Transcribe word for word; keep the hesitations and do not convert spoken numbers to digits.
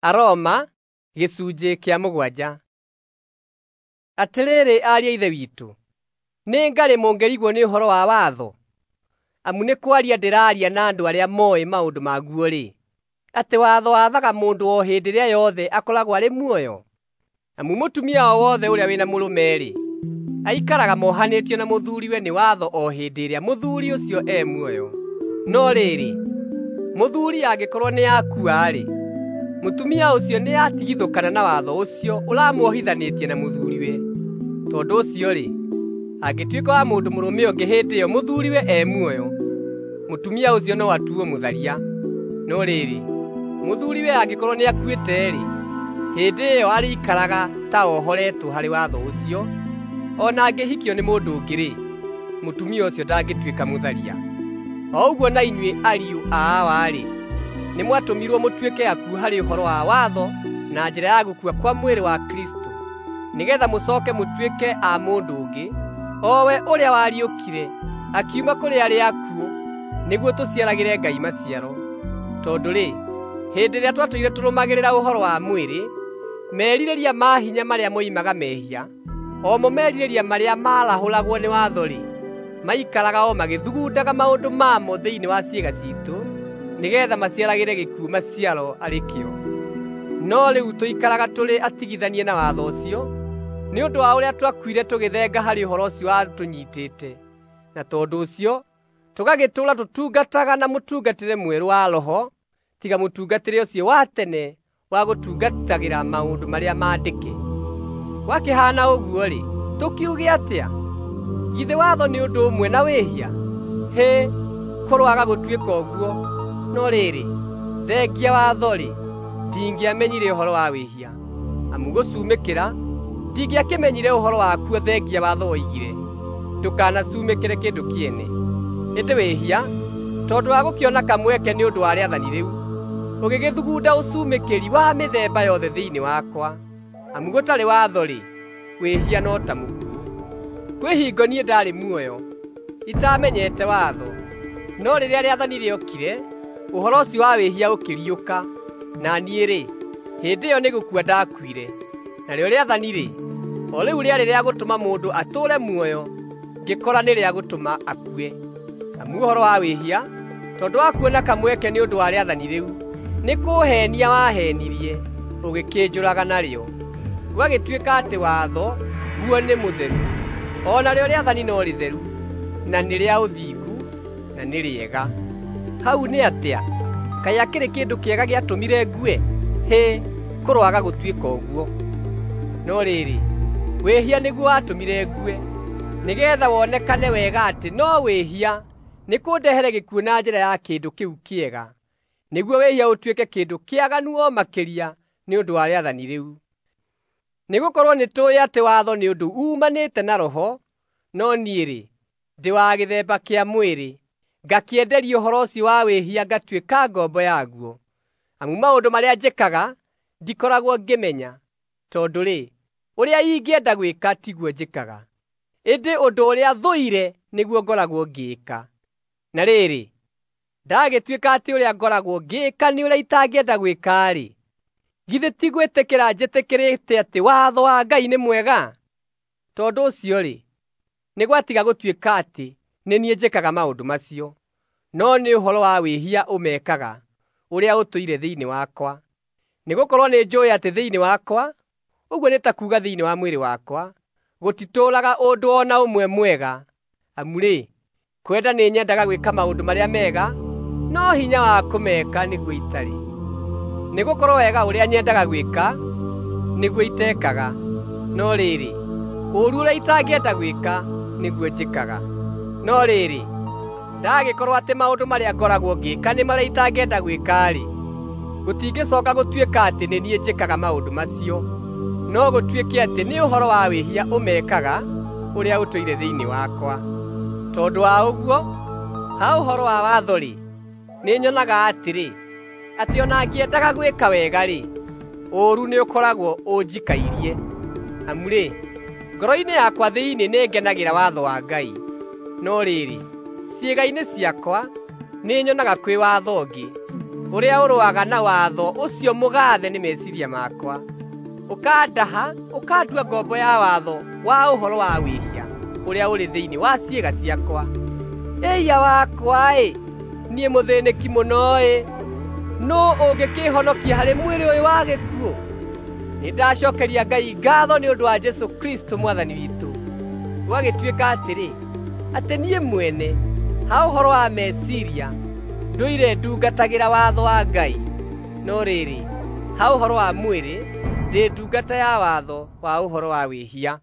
Aroma gĩcunjĩ kĩa mũgwanja. Atĩrĩrĩ ariũ a Ithe witũ, nĩ ngarĩ mũngĩrigwo nĩ ũhoro wa watho? Amu nĩ kwaria ndĩraaria na andũ arĩa mooĩ maũndũ maguo-rĩ, atĩ watho wathaga mũndũ o hĩndĩ ĩrĩa yothe akoragwo arĩ muoyo? Amu mũtumia o wothe ũrĩa wĩna mũrũme-rĩ, aikaraga mohanĩtio na mũthuuriwe nĩ watho o hĩndĩ ĩrĩa mũthuuri ũcio e muoyo. No rĩrĩ, mũthuuri angĩkorwo nĩakua-rĩ, mũtumia ũcio nĩatigithũkana na watho ũcio ũramuohithanĩtie na mũthuuriwe. Tondũ ũcio-rĩ, angĩtuĩka wa mũndũ mũrũme ũngĩ hĩndĩ ĩyo mũthuuriwe e muoyo, mũtumia ũcio no atuo mũtharia. No rĩrĩ, mũthuuriwe angĩkorwo nĩakuĩte-rĩ, hĩndĩ ĩyo arĩikaraga ta ohoretwo harĩ watho ũcio. O na angĩhikio nĩ mũndũ ũngĩ-rĩ, mũtumia ũcio ndangĩtuĩka mũtharia. O ũguo na inyuĩ ariũ a Awa-rĩ, nĩmwatũmirwo mũtuĩke akuũ harĩ ũhoro wa watho na njĩra ya gũkua kwa mwĩrĩ wa Kristũ, nĩgeetha mũcooke mũtuĩke a mũndũ ũngĩ, o we ũrĩa wariũkire akiuma kũrĩ arĩa akuũ, nĩguo tũciaragĩre Ngai maciaro. Tondũ-rĩ, hĩndĩ ĩrĩa twatũire tũrũmagĩrĩra ũhoro wa mwĩrĩ, merirĩria ma hinya marĩa moimaga mehia, o mo merirĩria marĩa maarahũragwo nĩ watho-rĩ, maikaraga o magĩthugundaga maũndũ mamo thĩinĩ wa ciĩga ciitũ, nĩgeetha maciaragĩre gĩkuũ maciaro arĩ kĩo. No rĩu tũikaraga tũrĩ atigithanie na watho ũcio, nĩ ũndũ wa ũrĩa twakuire tũgĩthenga harĩ ũhoro ũcio watũnyiitĩte, na tondũ ũcio tũgagĩtũũra tũtungataga na mũtungatĩre mwerũ wa Roho, tiga mũtungatĩre ũcio wa tene wa gũtungatagĩra maũndũ marĩa maandĩke. Gwakĩhaana ũguo-rĩ, tũkiuge atĩa? Githĩ watho nĩ ũndũ ũmwe na wĩhia? Hĩ, kũroaga gũtuĩka ũguo! No rĩrĩ, thengia watho-rĩ, ndingĩamenyire ũhoro wa wĩhia. Amu gũcumĩkĩra, ndingĩakĩmenyire ũhoro wakuo thengia watho woigire, “Ndũkanacumĩkĩre kĩndũ kĩene.” Ĩndĩ wĩhia, tondũ wa gũkĩona kamweke nĩ ũndũ wa rĩathani rĩu, ũgĩgĩthugunda ũcumĩkĩri wa mĩthemba yothe thĩinĩ wakwa. Amu gũtarĩ watho-rĩ, wĩhia no ta mũkuũ. Kwĩ hingo niĩ ndaarĩ muoyo, itaamenyete watho, no rĩrĩa rĩathani rĩokire, ũhoro ũcio wa wĩhia ũkĩriũka, na niĩ-rĩ, hĩndĩ ĩyo nĩ gũkua ndakuire. Narĩo rĩathani-rĩ, o rĩu rĩarĩ rĩa gũtũma mũndũ atũũre muoyo, ngĩkora nĩ rĩa gũtũma akue. Amu ũhoro wa wĩhia, tondũ wa kuona kamweke nĩ ũndũ wa rĩathani rĩu, nĩ kũũheenia waheenirie, ũgĩkĩnjũraga narĩo. Gwagĩtuĩka atĩ watho guo nĩ mũtheru, o narĩo rĩathani no rĩtheru, na nĩ rĩa ũthingu, na nĩ rĩega. Hau nĩ atĩa? Kaĩ akĩrĩ kĩndũ kĩega gĩatũmire ngue? Hĩ, kũroaga gũtuĩka ũguo! No rĩrĩ, wĩhia nĩguo watũmire ngue, nĩgeetha wonekane wega atĩ no wĩhia nĩkũndehere gĩkuũ na njĩra ya kĩndũ kĩu kĩega, nĩguo wĩhia ũtuĩke kĩndũ kĩaganu o makĩria nĩ ũndũ wa rĩathani rĩu. Nĩgũkorwo nĩtũũĩ atĩ watho nĩ ũndũ uumanĩte na Roho, no niĩ-rĩ, ndĩ wa gĩthemba kĩa mwĩrĩ, ngakĩenderio ũhoro ũcio wa wĩhia ngatuĩka ngombo yaguo. Amu maũndũ marĩa njĩkaga ndikoragwo ngĩmenya, tondũ-rĩ, ũrĩa ingĩenda gwĩka tiguo njĩkaga, ĩndĩ ũndũ ũrĩa thũire nĩguo ngoragwo ngĩĩka. Na rĩrĩ, ndagĩtuĩka atĩ ũrĩa ngoragwo ngĩĩka nĩ ũrĩa itangĩenda gwĩka-rĩ, githĩ ti gwĩtĩkĩra njĩtĩkĩrĩte atĩ watho wa Ngai nĩ mwega? Tondũ ũcio-rĩ, nĩ gwatiga gũtuĩka atĩ nĩ niĩ njĩkaga maũndũ macio, no nĩ ũhoro wa wĩhia ũmekaga, ũrĩa ũtũire thĩinĩ wakwa. Nĩgũkorwo nĩnjũũĩ atĩ thĩinĩ wakwa, ũguo nĩ ta kuuga thĩinĩ wa mwĩrĩ wakwa, gũtitũũraga ũndũ o na ũmwe mwega. Amu-rĩ, kwenda nĩnyendaga gwĩka maũndũ marĩa mega, no hinya wa kũmeka nĩguo itarĩ. Nĩgũkorwo wega ũrĩa nyendaga gwĩka, nĩguo itekaga, no rĩrĩ, ũũru ũrĩa itangĩenda gwĩka, nĩguo njĩkaga. No rĩrĩ, ndagĩkorwo atĩ maũndũ marĩa ngoragwo ngĩĩka nĩ marĩa itangĩenda gwĩka-rĩ, gũtingĩcooka gũtuĩka atĩ nĩ niĩ njĩkaga maũndũ macio, no gũtuĩke atĩ nĩ ũhoro wa wĩhia ũmekaga, ũrĩa ũtũire thĩinĩ wakwa. Tondũ wa ũguo, ha ũhoro wa watho-rĩ, nĩnyonaga atĩrĩ, atĩ o na ngĩendaga gwĩka wega-rĩ, ũũru nĩũkoragwo ũnjikairie. Amu-rĩ, ngoro-inĩ yakwa thĩinĩ nĩngenagĩra watho wa Ngai, no rĩrĩ, ciĩga-inĩ ciakwa nĩnyonaga kwĩ watho ũngĩ, Ũrĩa ũrũaga na watho ũcio mũgaathe nĩ meciiria makwa, ũkandaha ũkandua ngombo ya watho wa ũhoro wa wĩhia ũrĩa ũrĩ thĩinĩ wa ciĩga ciakwa. Ĩiya wakwa-ĩ, niĩ mũthĩnĩki mũno-ĩ! Nũũ ũngĩkĩĩhonokia harĩ mwĩrĩ ũyũ wa gĩkuũ? Nĩndacokeria Ngai ngaatho nĩ ũndũ wa Jesũ Kristũ Mwathani witũ. Gũgagĩtuĩka atĩrĩ, atĩ niĩ mwene, ha ũhoro wa meciiria, ndũire ndungatagĩra watho wa Ngai, no rĩrĩ, ha ũhoro wa mwĩrĩ, ndĩ ndungata ya watho wa ũhoro wa wĩhia.